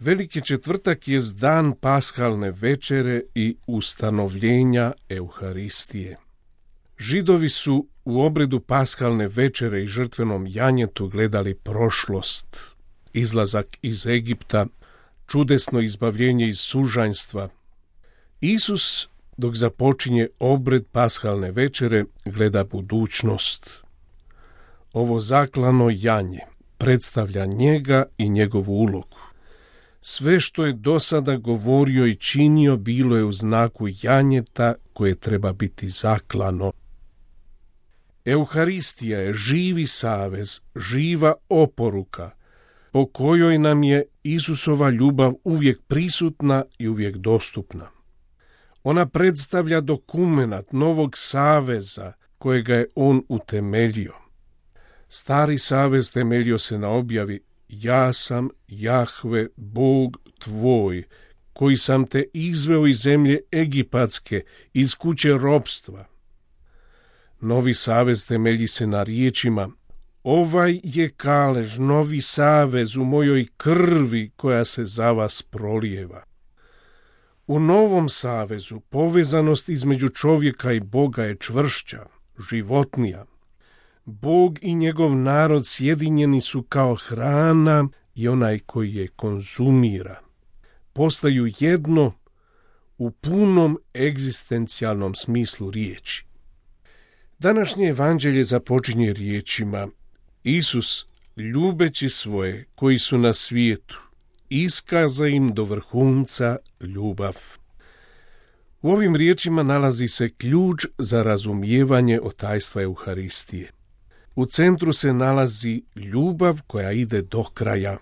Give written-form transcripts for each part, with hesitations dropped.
Veliki četvrtak je dan paskalne večere i ustanovljenja Euharistije. Židovi su u obredu paskalne večere i žrtvenom janjetu gledali prošlost, izlazak iz Egipta, čudesno izbavljenje iz sužanjstva. Isus, dok započinje obred paskalne večere, gleda budućnost. Ovo zaklano janje predstavlja njega i njegovu ulogu. Sve što je do sada govorio i činio bilo je u znaku janjeta koje treba biti zaklano. Euharistija je živi savez, živa oporuka, po kojoj nam je Isusova ljubav uvijek prisutna i uvijek dostupna. Ona predstavlja dokumenat novog saveza kojega je on utemeljio. Stari savez temeljio se na objavi: ja sam Jahve, Bog tvoj, koji sam te izveo iz zemlje Egipatske, iz kuće ropstva. Novi savez temelji se na riječima: ovaj je kalež, novi savez u mojoj krvi koja se za vas prolijeva. U novom savezu povezanost između čovjeka i Boga je čvršća, životnija. Bog i njegov narod sjedinjeni su kao hrana i onaj koji je konzumira. Postaju jedno u punom egzistencijalnom smislu riječi. Današnje evanđelje započinje riječima: Isus, ljubeći svoje koji su na svijetu, iskaza im do vrhunca ljubav. U ovim riječima nalazi se ključ za razumijevanje tajstva Euharistije. U centru se nalazi ljubav koja ide do kraja.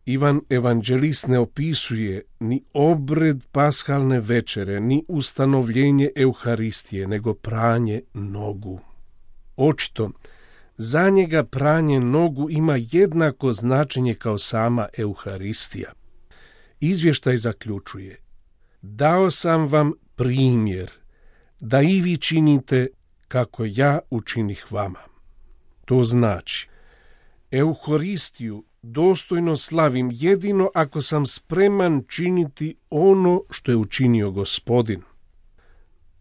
Ivan evanđelist ne opisuje ni obred paskalne večere, ni ustanovljenje Euharistije, nego pranje nogu. Očito, za njega pranje nogu ima jednako značenje kao sama Euharistija. Izvještaj zaključuje: dao sam vam primjer, da i vi činite kako ja učinih vama. To znači, Euharistiju dostojno slavim jedino ako sam spreman činiti ono što je učinio Gospodin.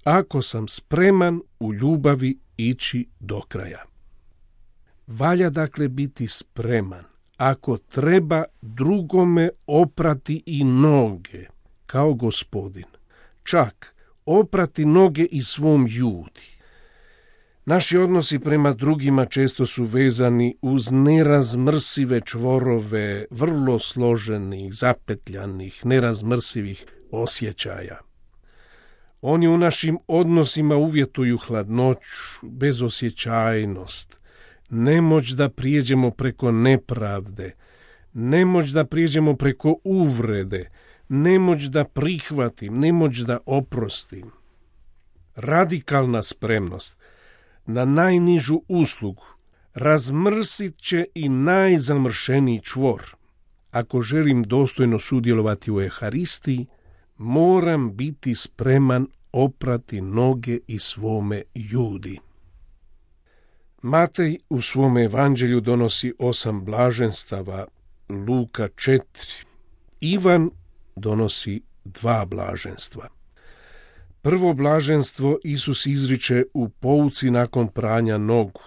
Ako sam spreman u ljubavi ići do kraja. Valja dakle biti spreman, ako treba drugome oprati i noge, kao Gospodin. Čak oprati noge i svom judi. Naši odnosi prema drugima često su vezani uz nerazmrsive čvorove, vrlo složenih, zapetljanih, nerazmrsivih osjećaja. Oni u našim odnosima uvjetuju hladnoću, bezosjećajnost, nemoć da prijeđemo preko nepravde, nemoć da prijeđemo preko uvrede, nemoć da prihvatim, nemoć da oprostim. Radikalna spremnost na najnižu uslugu razmrsit će i najzamršeniji čvor. Ako želim dostojno sudjelovati u Euharistiji, moram biti spreman oprati noge i svome judi. Matej u svom evanđelju donosi 8 blaženstava, Luka 4. Ivan donosi 2 blaženstva. Prvo blaženstvo Isus izriče u pouci nakon pranja nogu.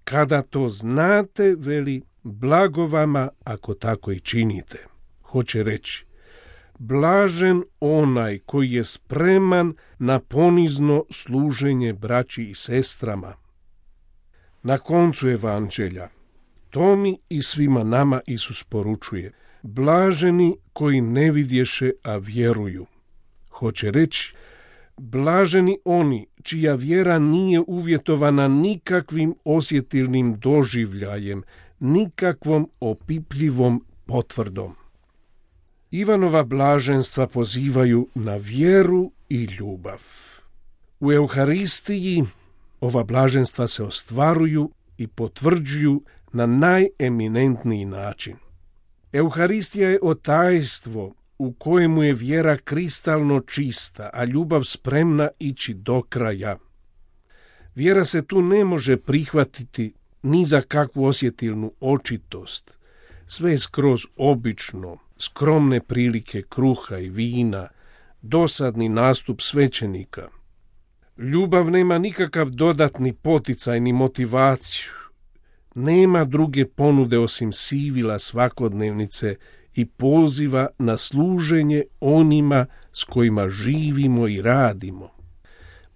Kada to znate, veli, blago vama ako tako i činite. Hoće reći, blažen onaj koji je spreman na ponizno služenje braći i sestrama. Na koncu evanđelja, Tomi i svima nama Isus poručuje: blaženi koji ne vidješe, a vjeruju. Hoće reći, blaženi oni čija vjera nije uvjetovana nikakvim osjetilnim doživljajem, nikakvom opipljivom potvrdom. Ivanova blaženstva pozivaju na vjeru i ljubav. U Euharistiji ova blaženstva se ostvaruju i potvrđuju na najeminentniji način. Euharistija je tajstvo u kojemu je vjera kristalno čista, a ljubav spremna ići do kraja. Vjera se tu ne može prihvatiti ni za kakvu osjetilnu očitost. sve je skroz obično, skromne prilike kruha i vina, dosadni nastup svećenika. Ljubav nema nikakav dodatni poticaj ni motivaciju. Nema druge ponude osim sivila svakodnevnice i poziva na služenje onima s kojima živimo i radimo.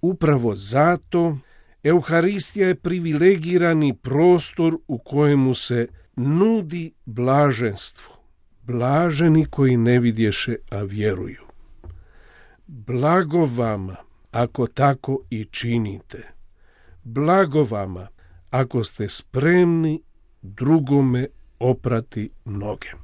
Upravo zato Euharistija je privilegirani prostor u kojemu se nudi blaženstvo. Blaženi koji ne vidješe, a vjeruju. Blago vama ako tako i činite. Blago vama ako ste spremni drugome oprati noge.